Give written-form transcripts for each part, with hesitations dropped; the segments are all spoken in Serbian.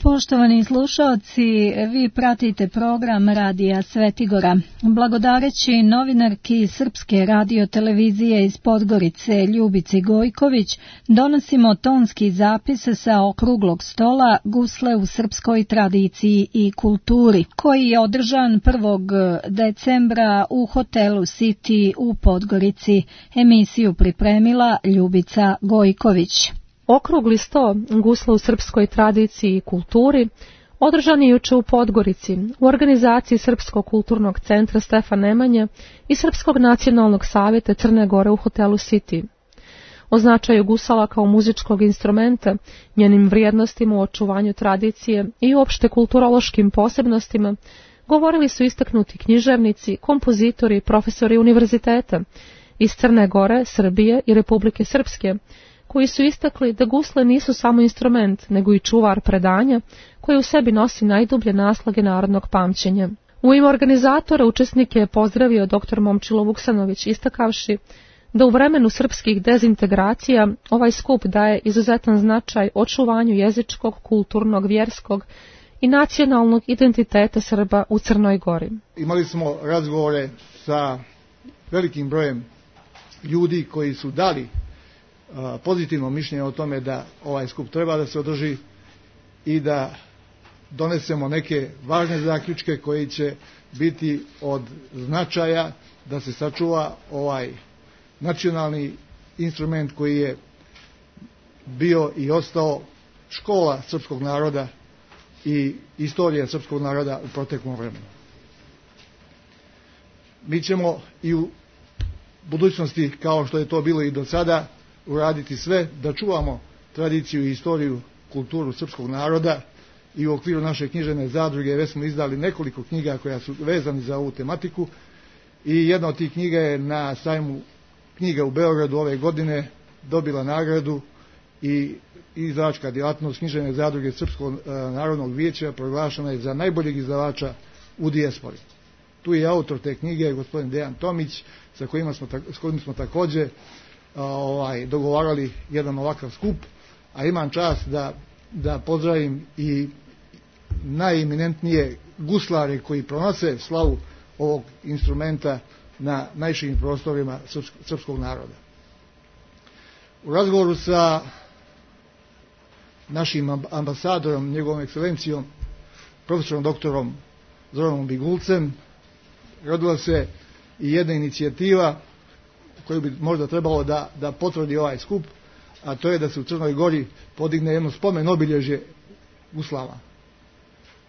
Poštovani slušalci, vi pratite program Radija Svetigora. Blagodareći novinarki Srpske radiotelevizije iz Podgorice Ljubici Gojković, donosimo tonski zapis sa okruglog stola Gusle u srpskoj tradiciji i kulturi, koji je održan 1. decembra u hotelu City u Podgorici. Emisiju pripremila Ljubica Gojković. Okrugli sto Gusla u srpskoj tradiciji i kulturi održan je juče u Podgorici u organizaciji Srpskog kulturnog centra Stefan Nemanja i Srpskog nacionalnog savjeta Crne Gore u hotelu City. O značaju gusala kao muzičkog instrumenta, njenim vrijednostima u očuvanju tradicije i uopšte kulturološkim posebnostima govorili su istaknuti književnici, kompozitori, profesori univerziteta iz Crne Gore, Srbije i Republike Srpske, koji su istakli da gusle nisu samo instrument, nego i čuvar predanja, koji u sebi nosi najdublje naslage narodnog pamćenja. U ime organizatora učesnike je pozdravio dr. Momčilo Vuksanović, istakavši da u vremenu srpskih dezintegracija ovaj skup daje izuzetan značaj očuvanju jezičkog, kulturnog, vjerskog i nacionalnog identiteta Srba u Crnoj Gori. Imali smo razgovore sa velikim brojem ljudi koji su dali pozitivno mišljenje o tome da ovaj skup treba da se održi i da donesemo neke važne zaključke koji će biti od značaja da se sačuva ovaj nacionalni instrument koji je bio i ostao škola srpskog naroda i istorija srpskog naroda u proteklom vremenu. Mi ćemo i u budućnosti, kao što je to bilo i do sada, uraditi sve da čuvamo tradiciju i istoriju, kulturu srpskog naroda i u okviru naše književne zadruge već smo izdali nekoliko knjiga koja su vezani za ovu tematiku i jedna od tih knjiga je na sajmu knjiga u Beogradu ove godine dobila nagradu i izdavačka djelatnost književne zadruge Srpskog narodnog vijeća proglašena je za najboljeg izdavača u dijaspori. Tu je autor te knjige gospodin Dejan Tomić s kojim smo također dogovarali jedan ovakav skup, a imam čast da pozdravim i najeminentnije guslare koji pronose slavu ovog instrumenta na najširim prostorima srpskog naroda. U razgovoru sa našim ambasadorom, njegovom ekscelencijom, profesorom doktorom Zoranom Bingulcem, rodila se i jedna inicijativa koju bi možda trebalo da potvrdi ovaj skup, a to je da se u Crnoj Gori podigne jedno spomen obilježje guslama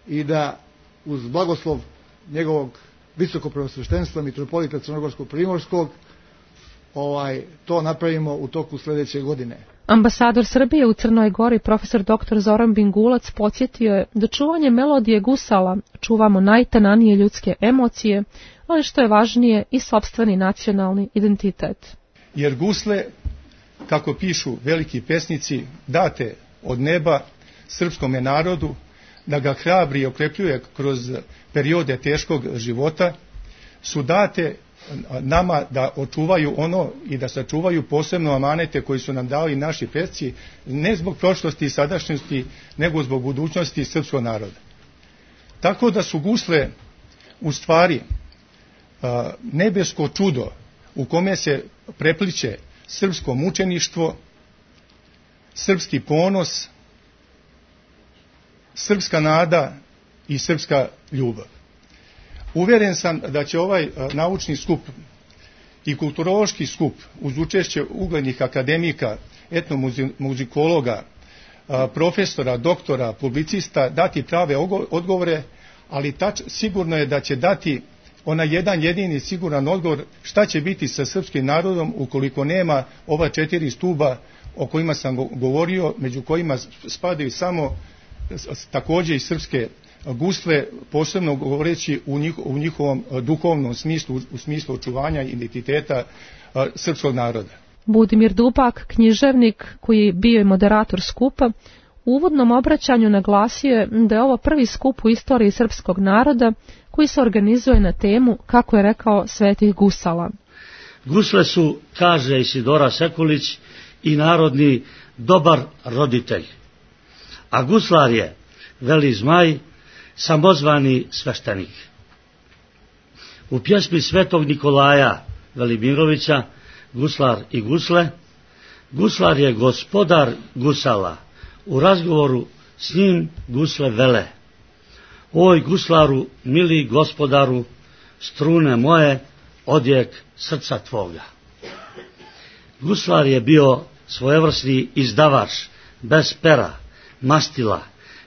i da uz blagoslov njegovog visokopreosveštenstva mitropolita Crnogorsko-primorskog to napravimo u toku sljedeće godine. Ambasador Srbije u Crnoj Gori, profesor dr. Zoran Bingulac, podsjetio je da čuvanje melodije gusala čuvamo najtananije ljudske emocije, ali što je važnije i sopstveni nacionalni identitet. Jer gusle, kako pišu veliki pesnici, date od neba srpskome narodu da ga hrabri i okrepljuje kroz periode teškog života, su date nama da očuvaju ono i da sačuvaju posebno amanete koji su nam dali naši preci, ne zbog prošlosti i sadašnjosti, nego zbog budućnosti srpskog naroda. Tako da su gusle u stvari nebesko čudo u kome se prepliče srpsko mučeništvo, srpski ponos, srpska nada i srpska ljubav. Uvjeren sam da će ovaj naučni skup i kulturološki skup uz učešće uglednih akademika, etnomuzikologa, profesora, doktora, publicista dati prave odgovore, ali sigurno je da će dati onaj jedan jedini siguran odgovor šta će biti sa srpskim narodom ukoliko nema ova 4 stuba o kojima sam govorio, među kojima spadaju samo također i srpske gusle, posebno govoreći u njihovom duhovnom smislu, u smislu očuvanja identiteta srpskog naroda. Budimir Dupak, književnik koji je bio i moderator skupa, u uvodnom obraćanju naglasio je da je ovo prvi skup u istoriji srpskog naroda koji se organizuje na temu, kako je rekao, svetih gusala. Gusle su, kaže Isidora Sekulić, i narodni dobar roditelj. A guslar je veli Zmaj, samozvani sveštenik. U pjesmi Svetog Nikolaja Velimirovića, Guslar i gusle, guslar je gospodar gusala. U razgovoru s njim gusle vele: oj guslaru, mili gospodaru, strune moje, odjek srca tvoga. Guslar je bio svojevrsni izdavač, bez pera, mastila,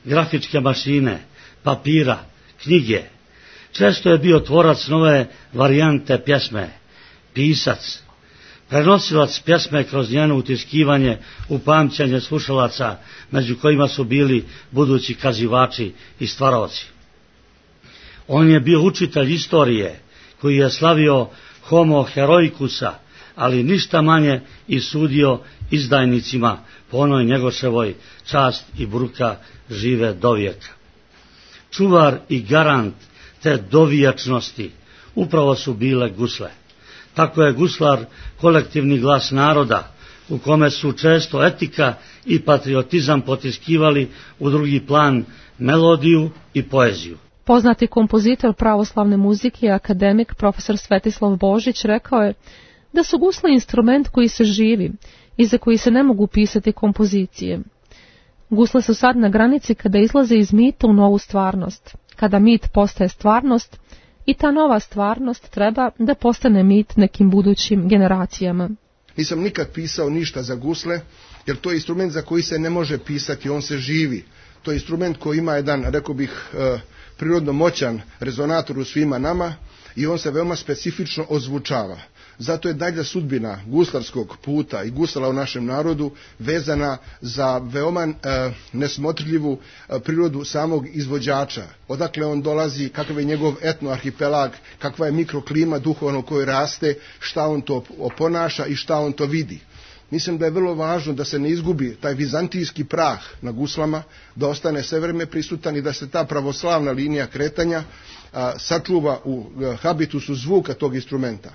grafičke mašine, papira, knjige. Često je bio tvorac nove varijante pjesme, pisac, prenosilac pjesme kroz njeno utiskivanje u pamćenje slušalaca, među kojima su bili budući kazivači i stvaraoci. On je bio učitelj istorije, koji je slavio homo heroikusa, ali ništa manje i sudio izdajnicima po onoj Njegoševoj čast i bruka žive dovijeka. Čuvar i garant te dovijačnosti upravo su bile gusle. Tako je guslar kolektivni glas naroda, u kome su često etika i patriotizam potiskivali u drugi plan melodiju i poeziju. Poznati kompozitor pravoslavne muzike i akademik profesor Svetislav Božić rekao je da su gusle instrument koji se živi i za koji se ne mogu pisati kompozicije. Gusle su sad na granici kada izlaze iz mita u novu stvarnost, kada mit postaje stvarnost i ta nova stvarnost treba da postane mit nekim budućim generacijama. Nisam nikad pisao ništa za gusle, jer to je instrument za koji se ne može pisati, on se živi. To je instrument koji ima jedan, rekao bih, prirodno moćan rezonator u svima nama i on se veoma specifično ozvučava. Zato je dalja sudbina guslarskog puta i gusala u našem narodu vezana za veoma nesmotrljivu prirodu samog izvođača. Odakle on dolazi, kakav je njegov etnoarhipelag, kakva je mikroklima duhovno u kojoj raste, šta on to oponaša i šta on to vidi. Mislim da je vrlo važno da se ne izgubi taj vizantijski prah na guslama, da ostane sve vreme prisutan i da se ta pravoslavna linija kretanja sačuva u habitusu zvuka tog instrumenta.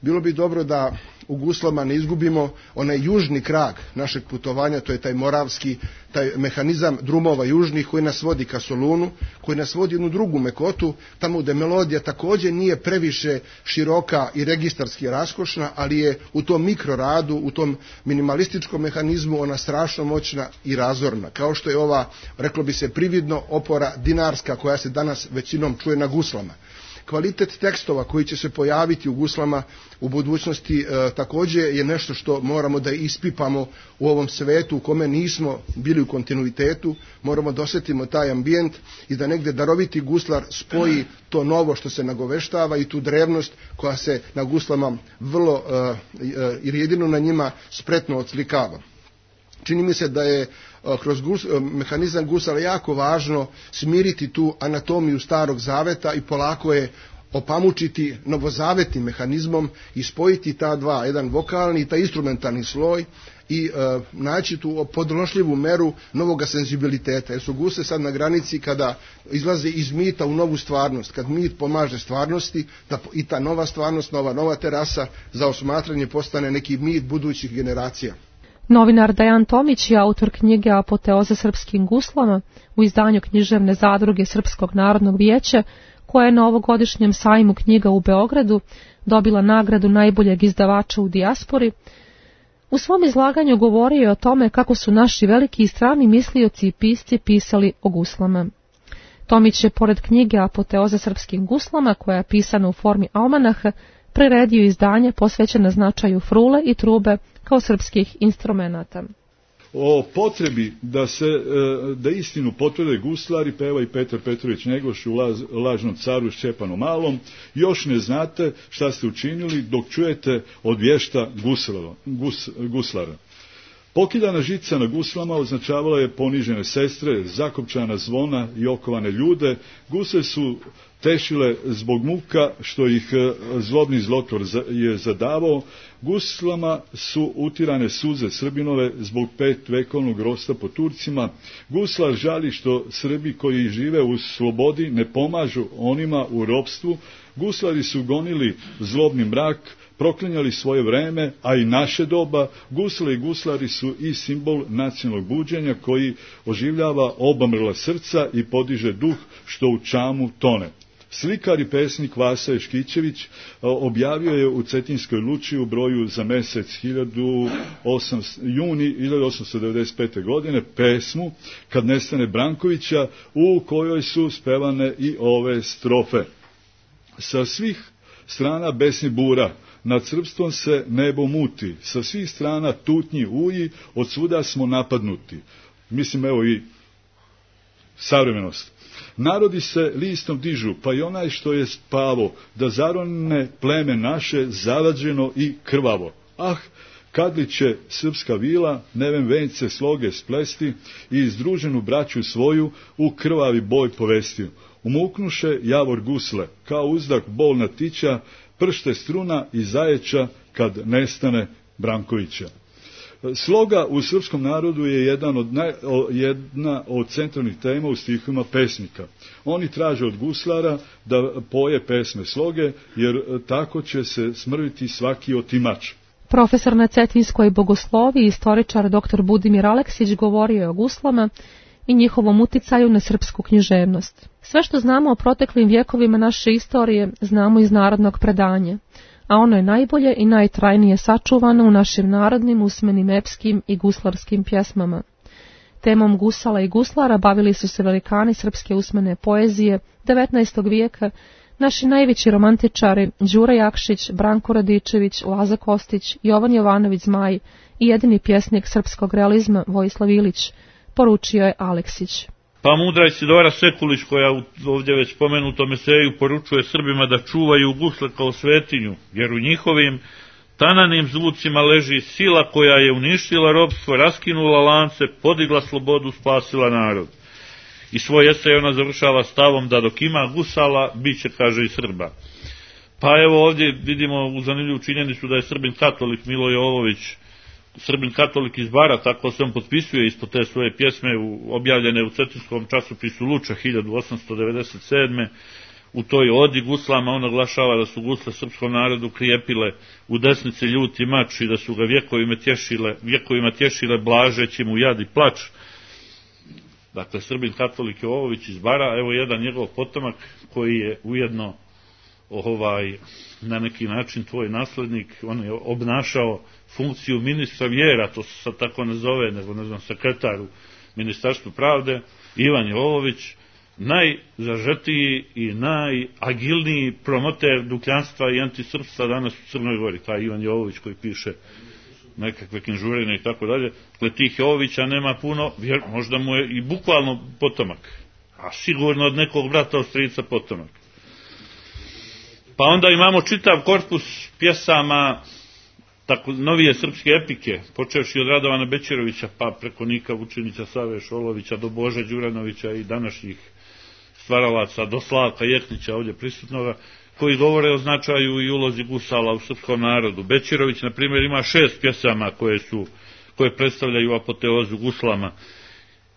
Bilo bi dobro da u guslama ne izgubimo onaj južni krag našeg putovanja, to je taj moravski, taj mehanizam drumova južnih koji nas vodi ka Solunu, koji nas vodi jednu drugu mekotu, tamo gde melodija također nije previše široka i registarski raskošna, ali je u tom mikroradu, u tom minimalističkom mehanizmu ona strašno moćna i razorna, kao što je ova, reklo bi se prividno, opora dinarska koja se danas većinom čuje na guslama. Kvalitet tekstova koji će se pojaviti u guslama u budućnosti također je nešto što moramo da ispipamo u ovom svetu u kome nismo bili u kontinuitetu, moramo da osjetimo taj ambijent i da negdje daroviti guslar spoji to novo što se nagoveštava i tu drevnost koja se na guslama vrlo i jedino na njima spretno odslikava. Čini mi se da je kroz mehanizam gusala jako važno smiriti tu anatomiju starog zaveta i polako je opamučiti novozavetnim mehanizmom i spojiti ta dva, jedan vokalni i taj instrumentalni sloj i naći tu podnošljivu meru novoga senzibiliteta. Jer su gusle sad na granici kada izlaze iz mita u novu stvarnost, kad mit pomaže stvarnosti, da i ta nova stvarnost, nova terasa za osmatranje postane neki mit budućih generacija. Novinar Dejan Tomić je autor knjige Apoteoza srpskim guslama u izdanju književne zadruge Srpskog narodnog vijeća, koja je na ovogodišnjem sajmu knjiga u Beogradu dobila nagradu najboljeg izdavača u dijaspori. U svom izlaganju govorio je o tome kako su naši veliki i strani mislioci i pisci pisali o guslama. Tomić je, pored knjige Apoteoza srpskim guslama, koja je pisana u formi almanaha, priredio izdanje posvećeno značaju frule i trube kao srpskih instrumenata. O potrebi da istinu potvrde guslari peva i Petar Petrović Njegoš u Lažnom caru Šćepanu Malom. Još ne znate šta ste učinili dok čujete od vješta guslara. Pokiljana žica na guslama označavala je ponižene sestre, zakopčana zvona i okovane ljude. Gusle su tešile zbog muka što ih zlobni zlotvor je zadavao. Guslama su utirane suze Srbinove zbog 5 vekovnog rosta po Turcima. Guslar žali što Srbi koji žive u slobodi ne pomažu onima u ropstvu. Guslari su gonili zlobni mrak, proklinjali svoje vreme, a i naše doba. Gusle i guslari su i simbol nacionalnog buđenja koji oživljava obamrla srca i podiže duh što u čamu tone. Slikar i pesnik Vasa Ješkićević objavio je u Cetinskoj Luči u broju za mesec juni 1895. godine pesmu Kad nestane Brankovića, u kojoj su spevane i ove strofe. Sa svih strana besni bura, nad srpstvom se nebo muti, sa svih strana tutnji uji, od svuda smo napadnuti. Mislim, evo i savremenost. Narodi se listom dižu, pa i onaj što je spavo, da zarone pleme naše zavađeno i krvavo. Ah, kad li će srpska vila nevem vence sloge splesti i izdruženu braću svoju u krvavi boj povesti. Umuknuše javor gusle, kao uzdak bolna tića, pršte struna i zajeća kad nestane Brankovića. Sloga u srpskom narodu je jedna od centralnih tema u stihovima pesnika. Oni traže od guslara da poje pesme sloge, jer tako će se smrviti svaki otimač. Profesor na Cetinskoj bogosloviji, istoričar dr. Budimir Aleksić govorio je o guslama i njihovom uticaju na srpsku književnost. Sve što znamo o proteklim vjekovima naše istorije znamo iz narodnog predanja, a ono je najbolje i najtrajnije sačuvano u našim narodnim, usmenim, epskim i guslarskim pjesmama. Temom gusala i guslara bavili su se velikani srpske usmene poezije 19. vijeka, naši najveći romantičari Đura Jakšić, Branko Radičević, Laza Kostić, Jovan Jovanović Zmaj i jedini pjesnik srpskog realizma Vojislav Ilić, poručio je Aleksić. Pa mudra Isidora Sekulić, koja ovdje već spomenutom eseju poručuje Srbima da čuvaju gusle kao svetinju, jer u njihovim tananim zvucima leži sila koja je uništila ropstvo, raskinula lance, podigla slobodu, spasila narod. I svoj esej ona završava stavom da dok ima gusala, bit će, kaže, i Srba. Pa evo ovdje vidimo u zanimljivu činjenicu da je Srbin katolik Milo Jovović, Srbin katolik iz Bara, tako se on potpisuje ispod te svoje pjesme objavljene u Cetinskom časopisu Luča 1897. U toj odi guslama on naglašava da su gusle srpskom narodu krijepile u desnici ljuti mač i da su ga vjekovima tješile blažeći mu jad i plač. Dakle, Srbin katolik Jovović iz Bara, evo jedan njegov potomak koji je ujedno na neki način tvoj naslednik, on je obnašao funkciju ministra vjera, to se sad tako ne zove, nego ne znam, sekretar u Ministarstvu pravde, Ivan Jovović, najzažetiji i najagilniji promoter dukljanstva i antisrpstva danas u Crnoj Gori, taj Ivan Jovović koji piše nekakve knjižurine i tako dalje. Dakle, tih Jovovića nema puno, možda mu je i bukvalno potomak, a sigurno od nekog brata od strica potomak. Pa onda imamo čitav korpus pjesama, tako novije srpske epike, počevši od Radovana Bećirovića, pa preko Nika Vučinića, Save Šolovića, do Bože Đuranovića i današnjih stvaralaca, do Slavka Jeknića ovdje prisutnoga, koji govore o značaju i ulozi gusala u srpskom narodu. Bećirović, na primjer, ima 6 pjesama koje predstavljaju apoteozu guslama,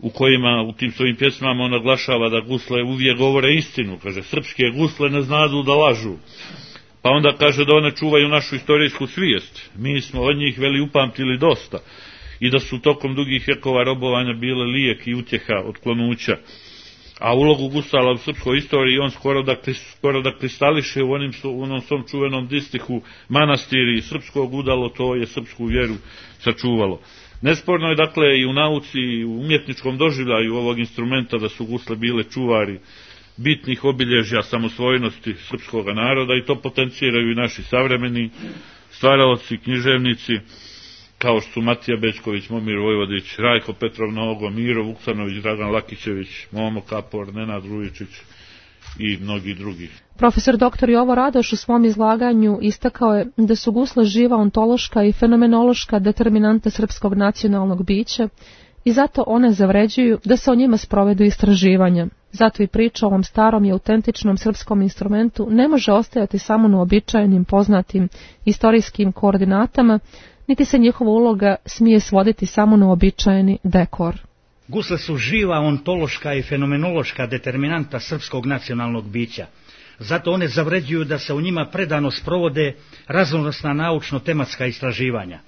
u kojima u tim svojim pjesmama on naglašava da gusle uvijek govore istinu, kaže, srpske gusle ne znadu da lažu. Pa onda kaže da one čuvaju našu istorijsku svijest. Mi smo od njih upamtili dosta i da su tokom dugih vjekova robovanja bile lijek i utjeha od klonuća. A ulogu gusala u srpskoj istoriji on skoro da kristališe u onom svom čuvenom distihu manastiri srpskog udalo, to je srpsku vjeru sačuvalo. Nesporno je dakle i u nauci i u umjetničkom doživljaju ovog instrumenta da su gusle bile čuvari bitnih obilježja samosvojnosti srpskog naroda i to potenciraju i naši savremeni stvaraoci, književnici, kao što su Matija Bećković, Momir Vojvodić, Rajko Petrov Nogo, Miro Vuksanović, Dragan Lakićević, Momo Kapor, Nenad Rujičić i mnogi drugi. Profesor dr. Jovo Radoš u svom izlaganju istakao je da su gusle živa ontološka i fenomenološka determinanta srpskog nacionalnog bića i zato one zavređuju da se o njima sprovedu istraživanja. Zato i priča o ovom starom i autentičnom srpskom instrumentu ne može ostajati samo na uobičajenim poznatim istorijskim koordinatama, niti se njihova uloga smije svoditi samo na uobičajeni dekor. Gusle su živa ontološka i fenomenološka determinanta srpskog nacionalnog bića. Zato one zavređuju da se u njima predano sprovode raznovrsna naučno-tematska istraživanja.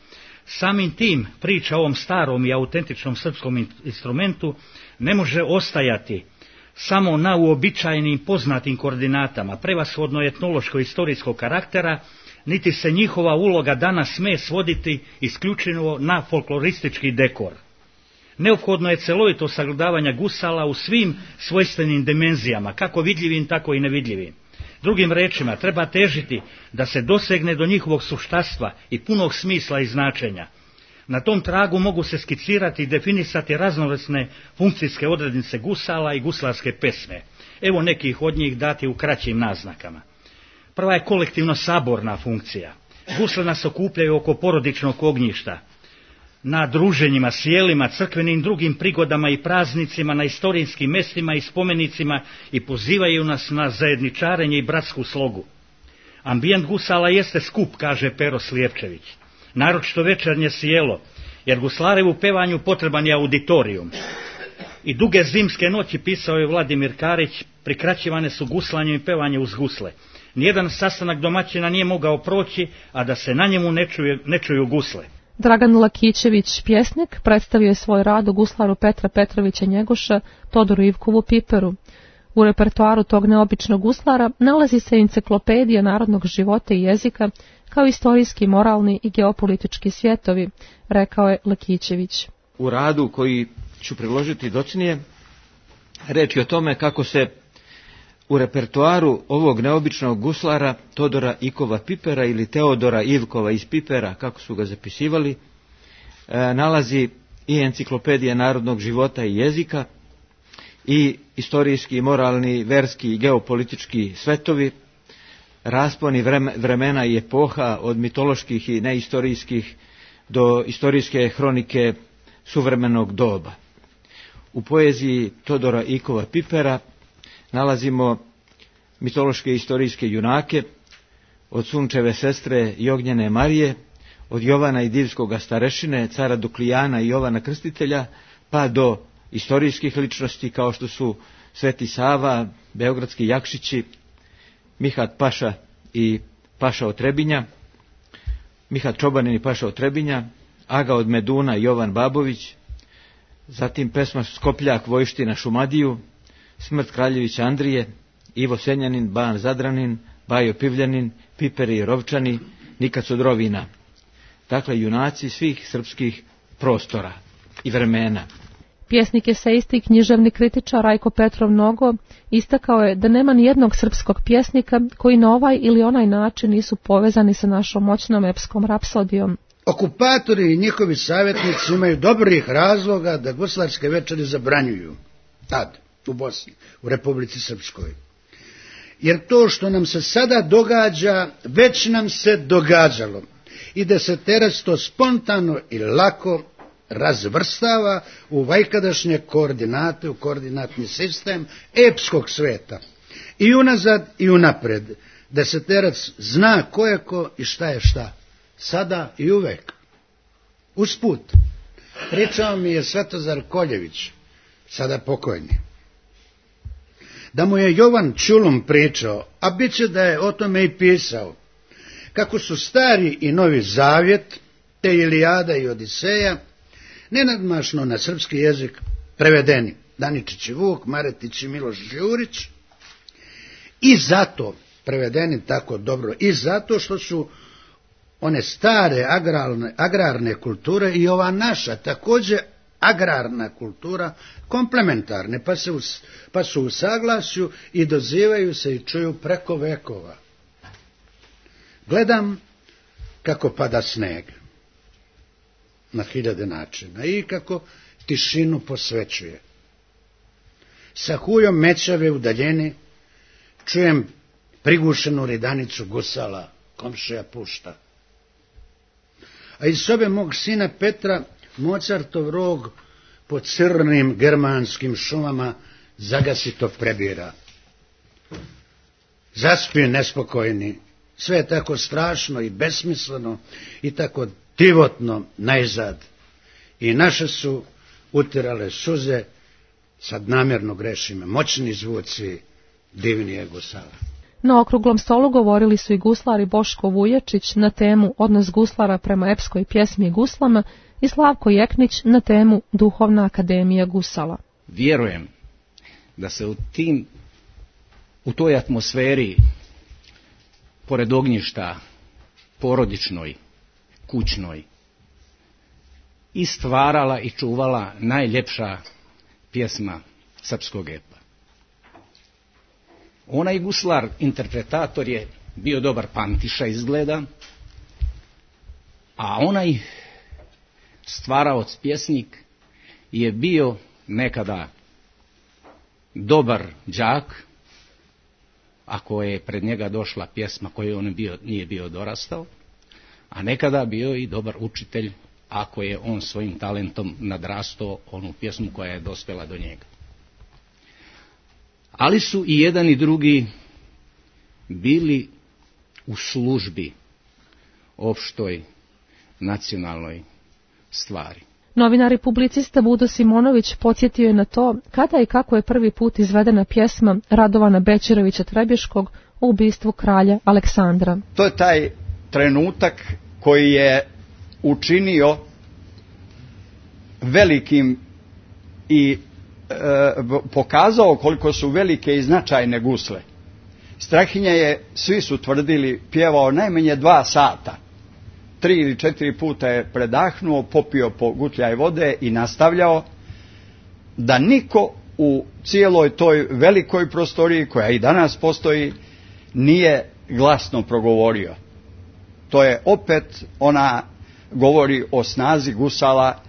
Samim tim priča o ovom starom i autentičnom srpskom instrumentu ne može ostajati samo na uobičajenim poznatim koordinatama, prevashodno etnološko-istorijskog karaktera, niti se njihova uloga danas sme svoditi isključivo na folkloristički dekor. Neophodno je celovito sagledavanje gusala u svim svojstvenim dimenzijama, kako vidljivim, tako i nevidljivim. Drugim rečima, treba težiti da se dosegne do njihovog suštastva i punog smisla i značenja. Na tom tragu mogu se skicirati i definisati raznovrsne funkcijske odrednice gusala i guslarske pesme. Evo nekih od njih dati u kraćim naznakama. Prva je kolektivno saborna funkcija. Gusle nas okupljaju oko porodičnog ognjišta, na druženjima, sjelima, crkvenim drugim prigodama i praznicima, na istorijskim mestima i spomenicima i pozivaju nas na zajedničarenje i bratsku slogu. Ambijent gusala jeste skup, kaže Pero Slijepčević, naročito večernje sjelo, jer guslarevu pevanju potreban je auditorijum. I duge zimske noći, pisao je Vladimir Karić, prikraćivane su guslanjem i pevanjem uz gusle. Nijedan sastanak domaćina nije mogao proći, a da se na njemu ne čuju gusle. Dragan Lakićević, pjesnik, predstavio je svoj rad u guslaru Petra Petrovića Njegoša, Todoru Ivkovu Piperu. U repertoaru tog neobičnog guslara nalazi se enciklopedija narodnog života i jezika, kao istorijski, moralni i geopolitički svjetovi, rekao je Lakićević. U radu koji ću priložiti docnije, reč je o tome kako se u repertoaru ovog neobičnog guslara Todora Ikova Pipera ili Teodora Ivkova iz Pipera, kako su ga zapisivali, nalazi i enciklopedija narodnog života i jezika, i istorijski, moralni, verski i geopolitički svetovi, rasponi vremena i epoha od mitoloških i neistorijskih do istorijske hronike suvremenog doba. U poeziji Todora Ikova Pipera nalazimo mitološke i istorijske junake, od Sunčeve sestre i Ognjene Marije, od Jovana i Divskoga starešine, cara Duklijana i Jovana Krstitelja, pa do istorijskih ličnosti kao što su Sveti Sava, beogradski Jakšići, Mihat Paša i Paša od Trebinja, Mihat Čobanin i Paša od Trebinja, Aga od Meduna i Jovan Babović, zatim pesma Skopljak Vojština Šumadiju, Smrt Kraljevića Andrije, Ivo Senjanin, Ban Zadranin, Bajo Pivljanin, Piperi i Rovčani, Nikad Sodrovina. Dakle, junaci svih srpskih prostora i vremena. Pjesnik, esejist i književni kritičar Rajko Petrov Nogo istakao je da nema ni jednog srpskog pjesnika koji na ovaj ili onaj način nisu povezani sa našom moćnom epskom rapsodijom. Okupatori i njihovi savjetnici imaju dobrih razloga da guslarske večeri zabranjuju. Tad, u Bosni, u Republici Srpskoj. Jer to što nam se sada događa, već nam se događalo. I da se teraz to spontano i lako razvrstava u vajkadašnje koordinate, u koordinatni sistem epskog sveta. I unazad i unapred, da se terac zna ko je ko i šta je šta. Sada i uvek. Usput, pričao mi je Svetozar Koljević, sada pokojni, da mu je Jovan Čulum pričao, a bit će da je o tome i pisao, kako su Stari i Novi Zavjet, te Ilijada i Odiseja, nenadmašno na srpski jezik prevedeni, Daničić i Vuk, Maretić i Miloš Žurić, i zato prevedeni tako dobro, i zato što su one stare agrarne kulture i ova naša također agrarna kultura komplementarne, pa su u saglasju i dozivaju se i čuju preko vekova. Gledam kako pada sneg na hiljade načina i kako tišinu posvećuje. Sa hujom mećave u daljini čujem prigušenu ridanicu gusala, komšija pušta. A iz sobe mog sina Petra Mozartov rog po crnim germanskim šumama zagasito prebira. Zaspi nespokojni, sve je tako strašno i besmisleno i tako divotno najzad. I naše su utirale suze, sad namjerno grešim, moćni zvuci divnije gusala. Na okruglom stolu govorili su i guslari Boško Vujačić na temu Odnos guslara prema epskoj pjesmi guslama i Slavko Jeknić na temu Duhovna akademija gusala. Vjerujem da se u toj atmosferi, pored ognjišta, porodičnoj, kućnoj, i stvarala i čuvala najljepša pjesma srpskog epa. Onaj guslar, interpretator, je bio dobar pantiša izgleda, a onaj stvaraoc, pjesnik, je bio nekada dobar đak, ako je pred njega došla pjesma koju on nije bio dorastao, a nekada bio i dobar učitelj, ako je on svojim talentom nadrastao onu pjesmu koja je dospjela do njega. Ali su i jedan i drugi bili u službi opštoj nacionalnoj stvari. Novinar i publicista Budo Simonović podsjetio je na to kada i kako je prvi put izvedena pjesma Radovana Bećirovića Trebješkog o ubistvu kralja Aleksandra. To je taj trenutak koji je učinio velikim i pokazao koliko su velike i značajne gusle. Strahinja je, svi su tvrdili, pjevao najmanje 2 sata. 3 ili 4 puta je predahnuo, popio po gutljaj vode i nastavljao, da niko u cijeloj toj velikoj prostoriji, koja i danas postoji, nije glasno progovorio. To je opet, ona govori o snazi gusala,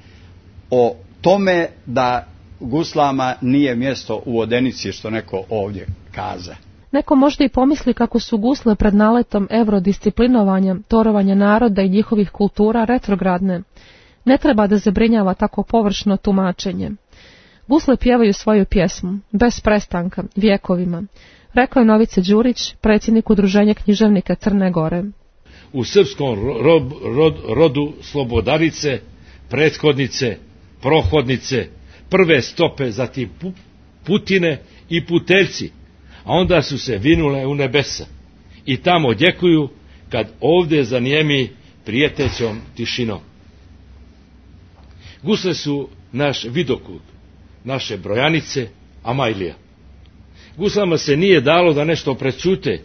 o tome da guslama nije mjesto u vodenici, što neko ovdje kaza. Neko možda i pomisli kako su gusle pred naletom eurodisciplinovanja, torovanja naroda i njihovih kultura retrogradne. Ne treba da zabrinjava tako površno tumačenje. Gusle pjevaju svoju pjesmu, bez prestanka, vjekovima, rekao je Novice Đurić, predsjednik Udruženja književnika Crne Gore. U srpskom rodu slobodarice, prethodnice, prohodnice, prve stope, zatim putine i puteljci, a onda su se vinule u nebesa i tamo odjekuju kad ovdje zanijemi prijetećom tišinom. Gusle su naš vidokut, naše brojanice, Amajlija. Guslama se nije dalo da nešto prećute,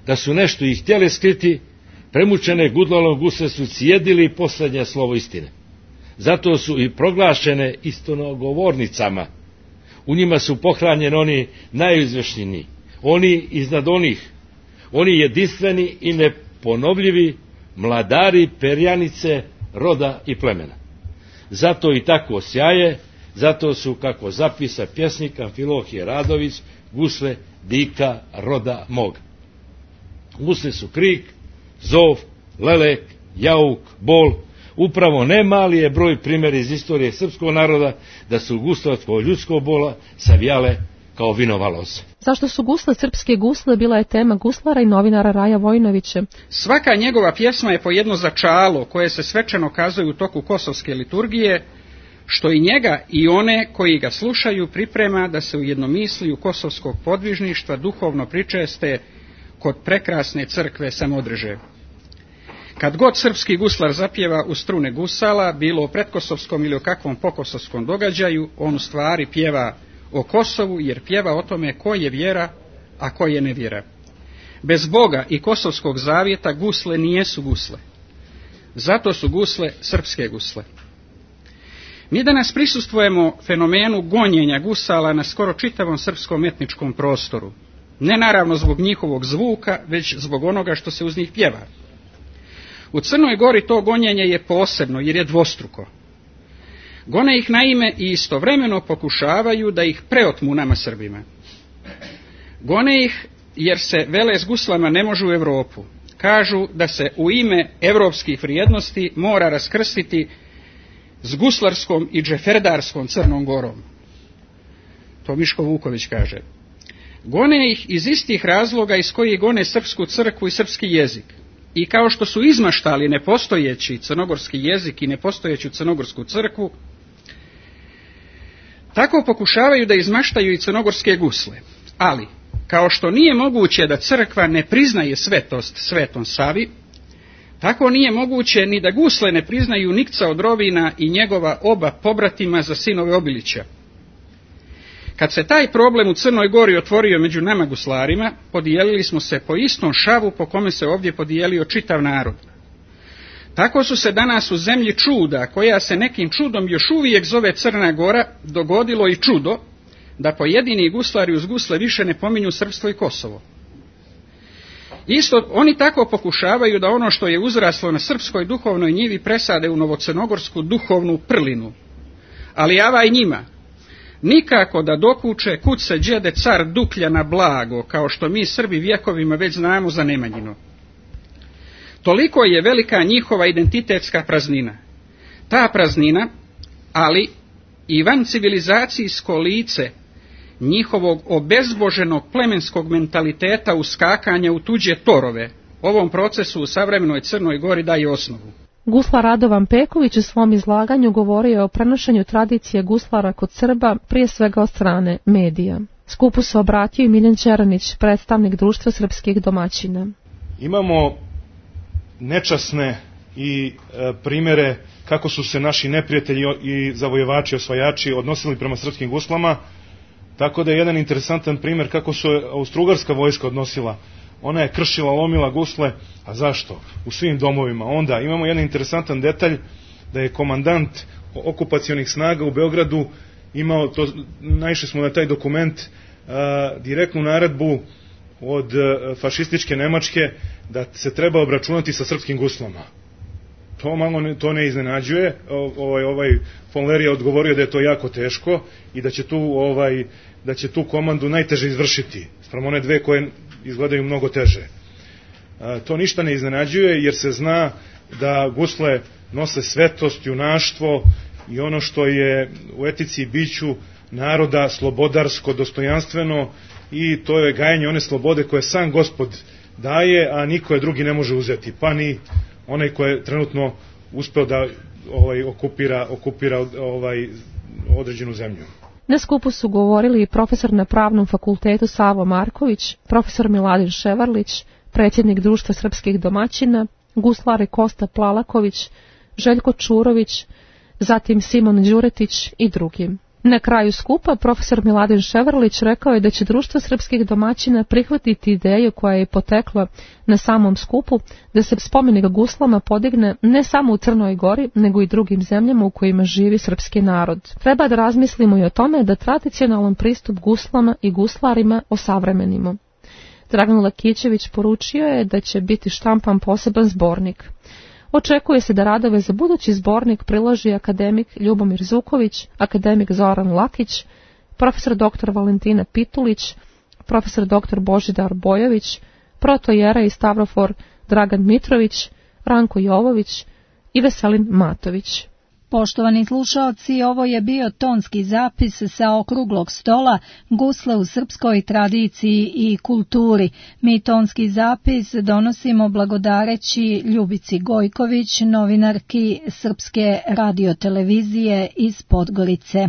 da su nešto ih htjeli skriti, premučene gudlalom gusle su cijedili posljednje slovo istine. Zato su i proglašene istonogovornicama. U njima su pohranjeni oni najizvešniji, oni iznad onih, oni jedinstveni i neponovljivi mladari perjanice roda i plemena. Zato i tako sjaje, zato su, kako zapisa pjesnik Amfilohije Radović, gusle dika roda moga. Gusle su krik, zov, lelek, jauk, bol. Upravo ne mali je broj primjer iz istorije srpskog naroda da su gusle od ljudskog bola savijale kao vinova loza. Zašto su gusle srpske gusle bila je tema guslara i novinara Raja Vojnovića. Svaka njegova pjesma je po jedno začalo koje se svečano kazuje u toku kosovske liturgije, što i njega i one koji ga slušaju priprema da se u jednomisliju kosovskog podvižništva duhovno pričeste kod prekrasne crkve Samodreže. Kad god srpski guslar zapjeva u strune gusala, bilo o pretkosovskom ili o kakvom pokosovskom događaju, on u stvari pjeva o Kosovu, jer pjeva o tome ko je vjera, a ko je nevjera. Bez Boga i kosovskog zavjeta gusle nijesu gusle. Zato su gusle srpske gusle. Mi danas prisustvujemo fenomenu gonjenja gusala na skoro čitavom srpskom etničkom prostoru. Ne naravno zbog njihovog zvuka, već zbog onoga što se uz njih pjeva. U Crnoj Gori to gonjenje je posebno jer je dvostruko. Gone ih naime i istovremeno pokušavaju da ih preotmu nama Srbima. Gone ih jer se vele s guslama ne može u Europu. Kažu da se u ime evropskih vrijednosti mora raskrstiti s guslarskom i džeferdarskom Crnom Gorom. To Miško Vuković kaže. Gone ih iz istih razloga iz kojih gone srpsku crkvu i srpski jezik. I kao što su izmaštali nepostojeći crnogorski jezik i nepostojeću crnogorsku crkvu, tako pokušavaju da izmaštaju i crnogorske gusle. Ali, Kao što nije moguće da crkva ne priznaje svetost Svetom Savi, tako nije moguće ni da gusle ne priznaju Nikca od Rovina i njegova oba pobratima za sinove Obilića. Kad se taj problem u Crnoj Gori otvorio među nama guslarima, podijelili smo se po istom šavu po kome se ovdje podijelio čitav narod. Tako su se danas u zemlji čuda, koja se nekim čudom još uvijek zove Crna Gora, dogodilo i čudo da pojedini guslari uz gusle više ne pominju Srpstvo i Kosovo. Isto oni tako pokušavaju da ono što je uzraslo na srpskoj duhovnoj njivi presade u novocrnogorsku duhovnu prlinu. Ali avaj njima, nikako da dokuče kud se đede car Duklja na blago, kao što mi Srbi vjekovima već znamo za Nemanjino. Toliko je velika njihova identitetska praznina. Ta praznina, ali i vancivilizacijsko lice njihovog obezboženog plemenskog mentaliteta uskakanja u tuđe torove, ovom procesu u savremenoj Crnoj Gori daje osnovu. Guslar Radovan Peković u svom izlaganju govorio o prenošenju tradicije guslara kod Srba, prije svega od strane medija. Skupu se obratio i Miljan Čeranić, predstavnik Društva srpskih domaćina. Imamo nečasne i primere kako su se naši neprijatelji i zavojevači, osvajači odnosili prema srpskim guslama, tako da je jedan interesantan primjer kako se Austrougarska vojska odnosila. Ona je kršila, lomila gusle, a zašto? U svim domovima. Onda imamo jedan interesantan detalj da je komandant okupacionih snaga u Beogradu imao, naišli smo na taj dokument, direktnu naredbu od fašističke Nemačke da se treba obračunati sa srpskim guslama. To ne iznenađuje. Ovaj von Leer je odgovorio da je to jako teško i da će tu komandu najteže izvršiti, spram one dve koje izgledaju mnogo teže. To ništa ne iznenađuje jer se zna da gusle nose svetost, junaštvo i ono što je u etici i biću naroda slobodarsko, dostojanstveno, i to je gajanje one slobode koje sam Gospod daje, a niko je drugi ne može uzeti, pa ni onaj ko je trenutno uspeo da okupira određenu zemlju. Na skupu su govorili i profesor na Pravnom fakultetu Savo Marković, profesor Miladin Ševarlić, predsjednik Društva srpskih domaćina, guslari Kosta Plalaković, Željko Čurović, zatim Simon Đuretić i drugi. Na kraju skupa profesor Miladin Ševarlić rekao je da će Društvo srpskih domaćina prihvatiti ideju koja je potekla na samom skupu da se spomenik guslama podigne ne samo u Crnoj Gori, nego i drugim zemljama u kojima živi srpski narod. Treba da razmislimo i o tome da tradicionalan pristup guslama i guslarima osavremenimo. Dragan Lakićević poručio je da će biti štampan poseban zbornik. Očekuje se da radove za budući zbornik priloži akademik Ljubomir Zuković, akademik Zoran Lakić, profesor dr. Valentina Pitulić, profesor dr. Božidar Bojović, protojerej Stavrofor Dragan Mitrović, Ranko Jovović i Veselin Matović. Poštovani slušalci, ovo je bio tonski zapis sa okruglog stola Gusle u srpskoj tradiciji i kulturi. Mi tonski zapis donosimo blagodareći Ljubici Gojković, novinarki Srpske radiotelevizije iz Podgorice.